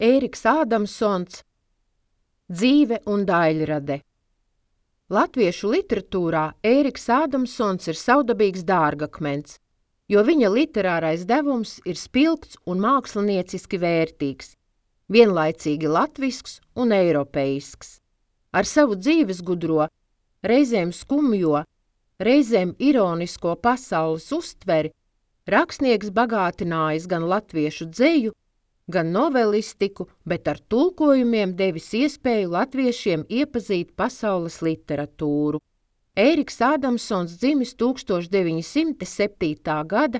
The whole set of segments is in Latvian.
Ēriks Ādamsons, Dzīve un daļrade. Latviešu literatūrā Ēriks Ādamsons ir savdabīgs dārgakmens, jo viņa literārais devums ir spilgts un mākslinieciski vērtīgs, vienlaicīgi latvisks un eiropeisks. Ar savu dzīvesgudro, reizēm skumjo, reizēm ironisko pasaules uztveri rakstnieks bagātinājis gan latviešu dzeju, gan novelistiku, bet ar tulkojumiem devis iespēju latviešiem iepazīt pasaules literatūru. Ēriks Ādamsons dzimis 1907. gada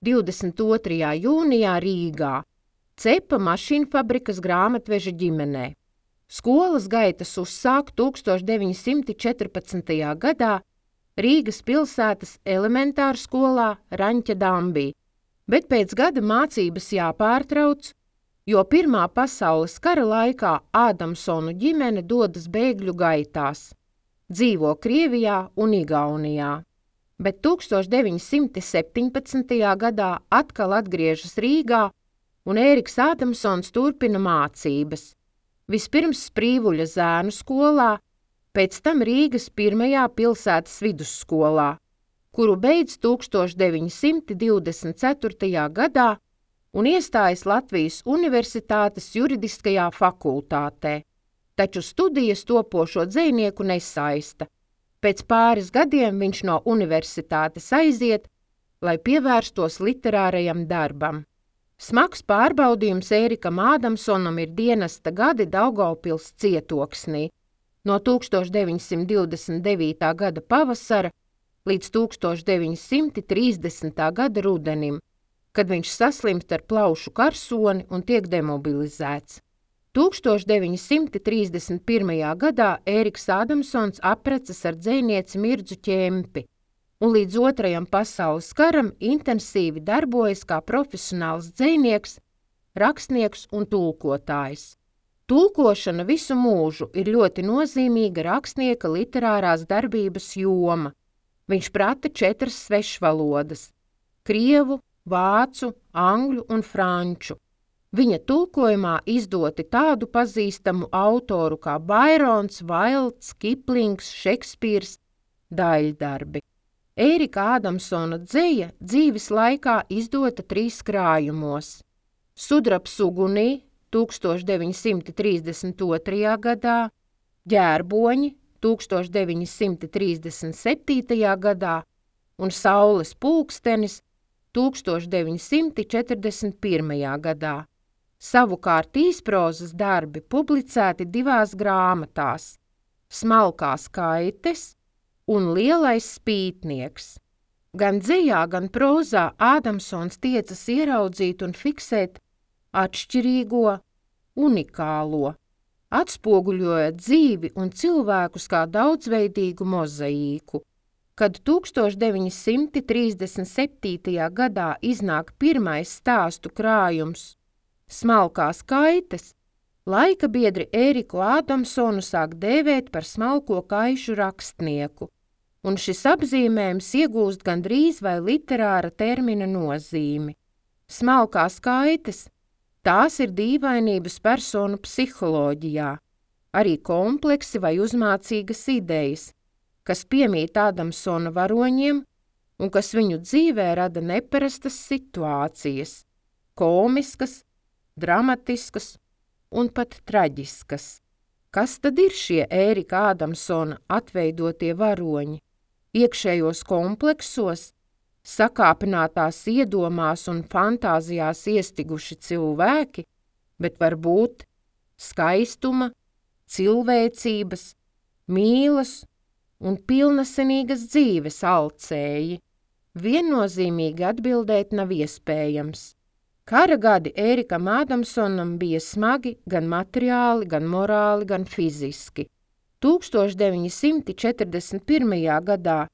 22. jūnijā Rīgā, cepa mašīnfabrikas grāmatveža ģimenē. Skolas gaitas uzsāk 1914. gadā Rīgas pilsētas elementārskolā Raņķa Dambī, bet pēc gada mācības jāpārtrauc, jo Pirmā pasaules kara laikā Ādamsonu ģimene dodas bēgļu gaitās, dzīvo Krievijā un Igaunijā. Bet 1917. gadā atkal atgriežas Rīgā un Ēriks Ādamsons turpina mācības. Vispirms Sprīvuļa zēnu skolā, pēc tam Rīgas pirmajā pilsētas vidusskolā, kuru beidz 1924. gadā un iestājas Latvijas Universitātes juridiskajā fakultātē, taču studijas topošo dzejnieku nesaista. Pēc pāris gadiem viņš no universitātes aiziet, lai pievērstos literārajam darbam. Smags pārbaudījums Ērikam Ādamsonam ir dienesta gadi Daugavpils cietoksnī, no 1929. gada pavasara līdz 1930. gada rudenim, kad viņš saslimst ar plaušu karsoni un tiek demobilizēts. 1931. gadā Ēriks Ādamsons apprecas ar dzejnieci Mirdzu Ķempi un līdz Otrajam pasaules karam intensīvi darbojas kā profesionāls dzejnieks, rakstnieks un tulkotājs. Tulkošana visu mūžu ir ļoti nozīmīga rakstnieka literārās darbības joma. Viņš prata 4 svešvalodas – krievu, vācu, angļu un franču. Viņa tulkojumā izdoti tādu pazīstamu autoru kā Bairons, Vailds, Kiplings, Šekspīrs, daļdarbi. Ērika Ādamsona dzeja dzīves laikā izdota 3 krājumos. Sudrabs ugunī 1932. gadā, Ģērboņi 1937. gadā un Saules pulkstenis 1941. gadā. Savukārt īsprozas darbi publicēti 2 grāmatās – Smalkās kaites un Lielais spītnieks. Gan dzejā, gan prozā Ādamsons tiecas ieraudzīt un fiksēt atšķirīgo, unikālo, atspoguļojot dzīvi un cilvēkus kā daudzveidīgu mozaīku. Kad 1937. gadā iznāk pirmais stāstu krājums Smalkās kaites, laika biedri Ēriku Ādamsonu sāk dēvēt par smalko kaišu rakstnieku, un šis apzīmējums iegūst gandrīz vai literāra termina nozīmi. Smalkās kaites – tās ir dīvainības personu psiholoģijā, arī kompleksi vai uzmācīgas idejas, kas piemīt Ādamsona varoņiem un kas viņu dzīvē rada neparastas situācijas, komiskas, dramatiskas un pat traģiskas. Kas tad ir šie Ērika Ādamsona atveidotie varoņi? Iekšējos kompleksos, sakāpinātās iedomās un fantāzijās iestiguši cilvēki, bet varbūt skaistuma, cilvēcības, mīlas un pilnasenīgas dzīves alcēji. Viennozīmīgi atbildēt nav iespējams. Kara gadi Ērikam Ādamsonam bija smagi gan materiāli, gan morāli, gan fiziski. 1941. gadā,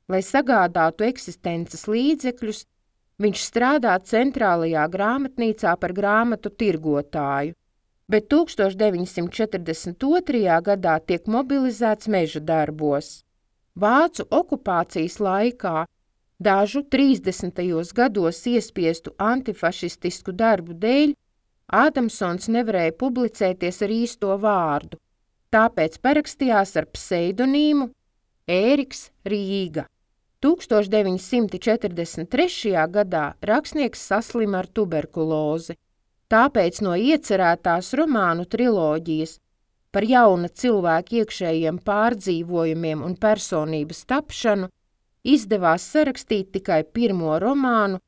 lai sagādātu eksistences līdzekļus, viņš strādā centrālajā grāmatnīcā par grāmatu tirgotāju, bet 1942. gadā tiek mobilizēts meža darbos. Vācu okupācijas laikā dažu 30. gados iespiestu antifašistisku darbu dēļ Ādamsons nevarēja publicēties ar īsto vārdu, tāpēc parakstījās ar pseidonīmu Ēriks Rīga. 1943. gadā rakstnieks saslima ar tuberkulozi, tāpēc no iecerētās romānu triloģijas par jauna cilvēka iekšējiem pārdzīvojumiem un personības tapšanu izdevās sarakstīt tikai pirmo romānu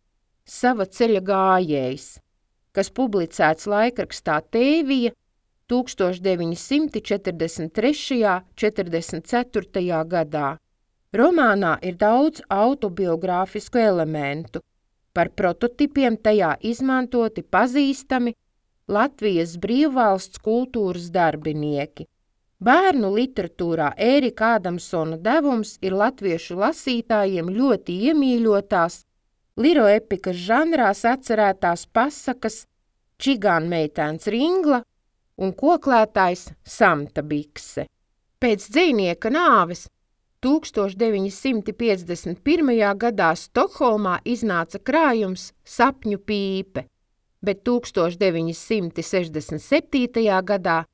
Sava ceļa gājējs, kas publicēts laikrakstā Tēvija 1943.–44. gadā. Romānā ir daudz autobiogrāfisku elementu, par prototipiem tajā izmantoti pazīstami Latvijas brīvvalsts kultūras darbinieki. Bērnu literatūrā Ērika Ādamsona devums ir latviešu lasītājiem ļoti iemīļotās, liroepikas žanrās atcerētās pasakas Čigānmeitēns Ringla un koklētājs Samta bikse. Pēc dzejnieka nāves 1951. gadā Stokholmā iznāca krājums Sapņu pīpe, bet 1967. gadā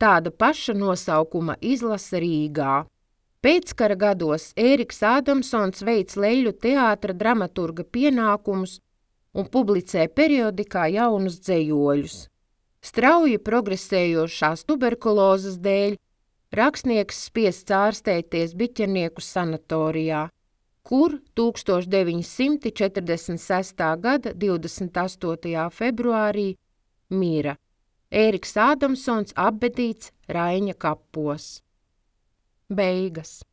tāda paša nosaukuma izlase Rīgā. Pēckara gados Ēriks Ādamsons veic leļu teātra dramaturga pienākumus un publicē periodikā jaunus dzejoļus. Strauji progresējošās tuberkulozes dēļ rakstnieks spiests ārstēties Biķernieku sanatorijā, kur 1946. gada 28. februārī mira. Ēriks Ādamsons apbedīts Raiņa kapos. Beigas.